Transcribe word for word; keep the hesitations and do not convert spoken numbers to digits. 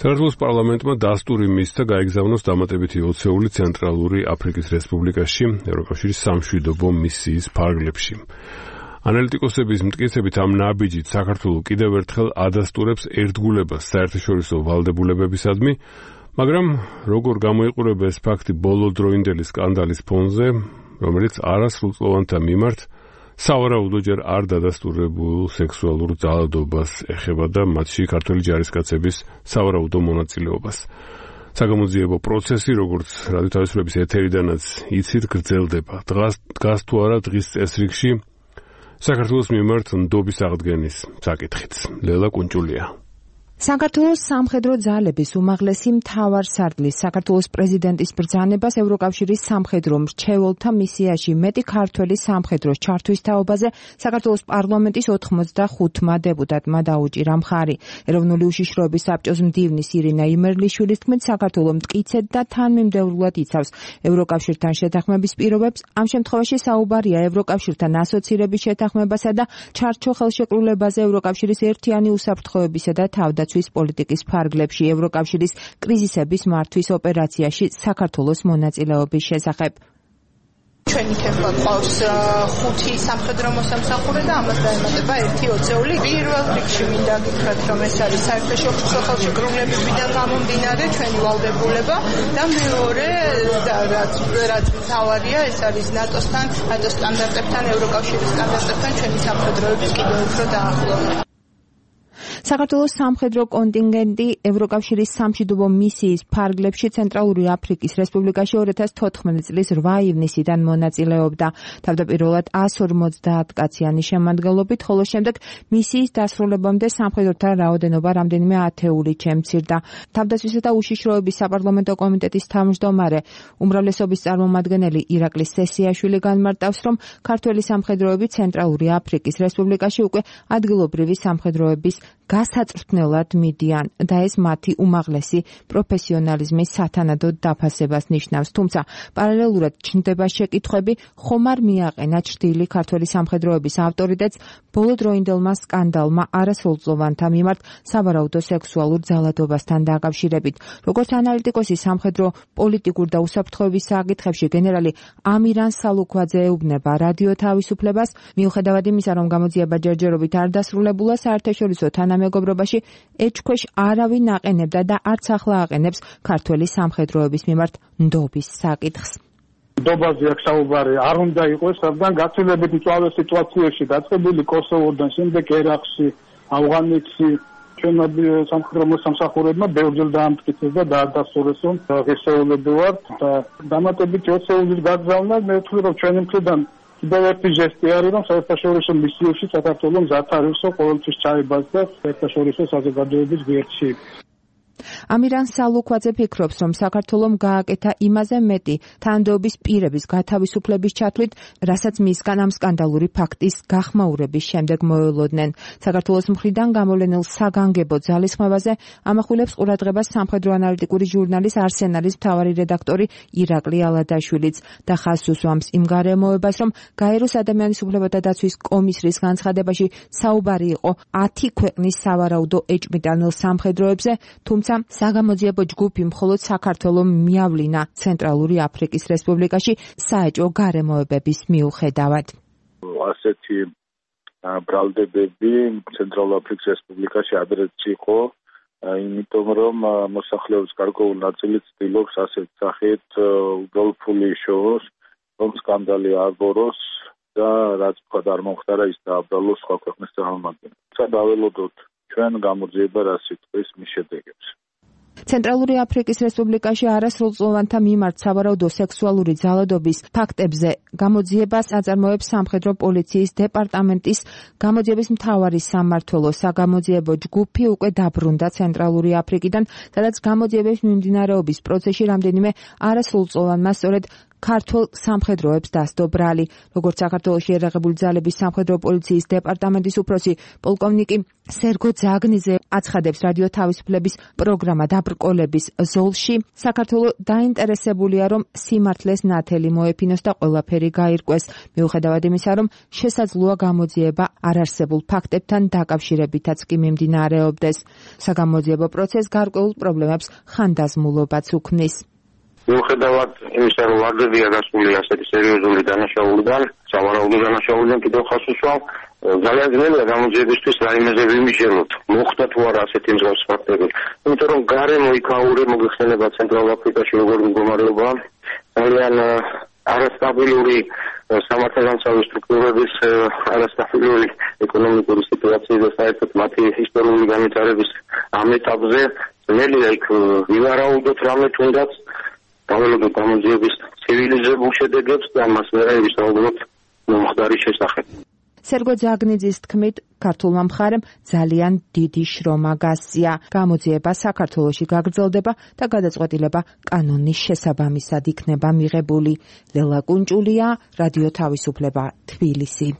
საქართველოს პარლამენტმა დასტური მისცა გაეგზავნოს დამატებითი ოცეული ცენტრალური აფრიკის რესპუბლიკაში ევროკავშირის სამშვიდობო მისიის ფარგლებში. ანალიტიკოსების მტკიცებით ამ ნაბიჯით საქართველო კიდევ ერთხელ ადასტურებს ერთგულებას საერთაშორისო ვალდებულებებისადმი, მაგრამ როგორ გამოიყურება ეს ფაქტი ბოლოდროინდელი სკანდალის ფონზე, რომელიც არასრულწლოვანთა მიმართ სავარაუდო ჯერ არ დადასტურებულ სექსუალურ ძალადობას ეხება და მათში ქართველი ჯარისკაცების სავარაუდო მონაწილეობას. საგამოძიებო პროცესი, როგორც რადიო თავისუფლების ეთერიდანაც იცით, გრძელდება. დღას დგას თუ არა დღის წესრიგში საქართველოს მიმართ ნდობის აღდგენის საკითხიც. ლელა კუნჭულია. საქართველოს სამხედრო ძალების უმაღლესი მთავარსარდლის საქართველოს პრეზიდენტის ბრძანებას ევროკავშირის სამხედრო მრჩეველთა მისიაში მეტი ქართველი სამხედროს ჩართვის თაობაზე საქართველოს პარლამენტის ოთხმოცდახუთმა დეპუტატმა დაუჭირა მხარი. ეროვნული უშიშროების საბჭოს მდივნის ირინა იმერლიშვილის თქმით, საქართველო მტკიცედ და თანმიმდევრულად იცავს ევროკავშირთან შეთანხმების პირობებს. ამ შემთხვევაში საუბარია ევროკავშირთან ასოცირების შეთანხმებასა და ჩარჩო ხელშეკრულებაზე ევროკავშირის ერთიანი უსაფრთხოებისა და თავდაცვის პოლიტიკის ფარგლებში ევროკავშირის კრიზისების მართვის ოპერაციაში საქართველოს მონაწილეობის შესახებ. ჩვენი თემა ყავს ხუთი სამხედრო მოსამსახურე და ამას დაემატება ერთი ოცეული. პირველ რიგში მინდა გითხრათ, რომ ეს არის საერთაშორისო ხელშეკრულებებიდან გამომდინარე ჩვენი ვალდებულება და მეორე რაც რაც მთავარია, ეს არის ნატოსთან, ნატოს სტანდარტებთან, ევროკავშირის სტანდარტებთან ჩვენი სამხედროების კიდევ უფრო დაახლოება. საქართველოს სამხედრო კონტინგენტი ევროკავშირის სამშვიდობო მისიის ფარგლებში ცენტრალური აფრიკის რესპუბლიკაში ორი ათას თოთხმეტი წლის რვა ივნისიდან მონაწილეობდა. თავდაპირველად ას ორმოცდაათ კაციანი შემადგენლობით, ხოლო შემდეგ მისიის დასრულებამდე სამხედროთა რაოდენობა რამდენიმე ათეულით შემცირდა. თავდაცვისა და უშიშროების საპარლამენტო კომიტეტის თავმჯდომარე უმრავლესობის წარმომადგენელი ირაკლი სესიაშვილი განმარტავს, რომ ქართველი სამხედროები ცენტრალური აფრიკის რესპუბლიკაში უკვე ადგილობრივი სამხედროების გასაწვრთნელად მიდიან და ეს მათი უმაღლესი პროფესიონალიზმის სათანადოდ დაფასებას ნიშნავს. თუმცა პარალელურად ჩნდება შეკითხვები, ხომ არ მიაყენა ჩრდილი ქართველი სამხედროების ავტორიტეტს ბოლოდროინდელმა სკანდალმა არასრულწლოვანთა მიმართ სავარაუდო სექსუალურ ძალადობასთან დაკავშირებით. როგორც ანალიტიკოსი სამხედრო პოლიტიკურ და უსაფრთხოების საკითხებში გენერალი ამირან სალუქვაძე ეუბნება რადიო თავისუფლებას, მიუხედავად იმისა, რომ გამოძიება ჯერჯერობით არ დასრულებულა, საერთაშორისო თანამეგობრობაში ეჭქვეშ არავინ აყენებდა და არც ახლა აყენებს ქართველი სამხედროების მიმართ ნდობის საკითხს. ნდობაზე აქ საუბარი არ უნდა იყოს, რადგან გაცილებით მწვავე სიტუაციაში დაწყებული კოსოვოდან შემდეგ ერაყში, ავღანეთში ჩვენმა სამხედრო მოსამსახურეებმა ბევრჯერ დაამტკიცეს და დაადასტურეს, რომ ღირსეულები ვართ და დამატებითი ოცეულის გაგზავნა მე ვთვლი, რომ ჩვენი მხრიდან კიდევ ერთი ჟესტი არის, რომ საერთაშორისო მისიებში საქართველო მზად არის ყოველთვის ჩაებას და საერთაშორისო საზოგადოების გვერდში. ამირან სალუქვაძე ფიქრობს, რომ საქართველომ გააკეთა იმაზე მეტი თანდობის პირების გათავისუფლების ჩათვლით, რასაც მისგან ამ სკანდალური ფაქტის გახმაურების შემდეგ მოელოდნენ. საქართველოს მხრიდან გამოვლენილ საგანგებო ძალისხმევაზე ამახვილებს ყურადღებას სამხედრო ანალიტიკური ჟურნალის არსენალის მთავარი რედაქტორი ირაკლი ალადაშვილიც და ხაზს უსვამს იმ გარემოებას, რომ გაეროს ადამიანის უფლებათა დაცვის კომისრის განცხადებაში საუბარი იყო ათი ქვეყნის სავარაუდო ეჭვმიტანილ სამხედროებზე, თუმცა საგამოძიებო ჯგუფი მხოლოდ საქართველომ მიავლინა ცენტრალური აფრიკის რესპუბლიკაში საეჭვო გარემოებების მიუხედავად. ასეთი ბრალდებები ცენტრალური აფრიკის რესპუბლიკაში ადრეც იყო, იმიტომ რომ მოსახლეობის გარკვეული ნაწილი ცდილობს ასეთ სახით უბრალოდ იშოვოს, რომ სკანდალი აღგოროს და რაც თქვა არ მომხდარა ის დააბრალოს სხვა ქვეყნის წარმომადგენლებს. ცა დაველოდოთ ჩვენ გამოძიება რა სიტყვის მის შედეგებს. ცენტრალური აფრიკის რესპუბლიკაში არასრულწლოვანთა მიმართ სავარაუდო სექსუალური ძალადობის ფაქტებზე გამოძიებას აწარმოებს სამხედრო პოლიციის დეპარტამენტის გამოძიების მთავარი სამმართველო საგამოძიებო ჯგუფი უკვე დაბრუნდა ცენტრალური აფრიკიდან, სადაც გამოძიების მიმდინარეობის პროცესში რამდენიმე არასრულწლოვანმა სწორედ ქართულ სამხედროებს დასდო ბრალი. როგორც საქართველოში ერაღებული ძალების სამხედრო პოლიციის დეპარტამენტის უფროსი პოლკოვნიკი სერგო ძაგნიძე აცხადებს, რადიო თავისუფლების პროგრამა დაბრკოლების ზოლში. საქართველო დაინტერესებულია, რომ სიმართლეს ნათელი მოეფინოს და ყველაფერი გაირკვეს, მიუხედავად იმისა, რომ შესაძლოა გამოძიება არარსებულ ფაქტებთან დაკავშირებითაც კი მიმდინარეობდეს. საგამოძიებო პროცესს გარკვეულ პრობლემებს ხანდაზმულობაც უქმნის. მიუხედავად იმისა, რომ ვარდებია გასული ასეთი სერიოზული დანაშაულიდან, სავარაუდო დანაშაულიდან კიდევ ხას უსვამ, ძალიან ძნელია გამოძიებისთვის რაიმეზე ვიმიჟელოთ. მოხდა თუ არა ასეთი მსგავსი ფაქტები. იმიტომ რომ გარემო იქაური მოგეხსენება ცენტრალურ აფრიკაში როგორი მდგომარეობაა, ძალიან არასტაბილური სამართალდამცავი სტრუქტურების, არასტაბილური ეკონომიკური სიტუაცია და საერთოდ მათი ისტორიული განვითარების ამ ეტაპზე ძნელია იქ ვივარაუდოთ რამე თუნდაც დაველოდოთ გამოძიების ცივილიზებულ შედეგებს და მას ვერ ვისაუბროთ მომხდარი შესახებ. სერგო ძაგნიძის თქმით, ქართულმა მხარემ ძალიან დიდი შრომა გასწია. გამოძიება საქართველოში გაგრძელდება და გადაწყვეტილება კანონის შესაბამისად იქნება მიღებული. ლელა კუნჭულია, რადიო თავისუფლება, თბილისი.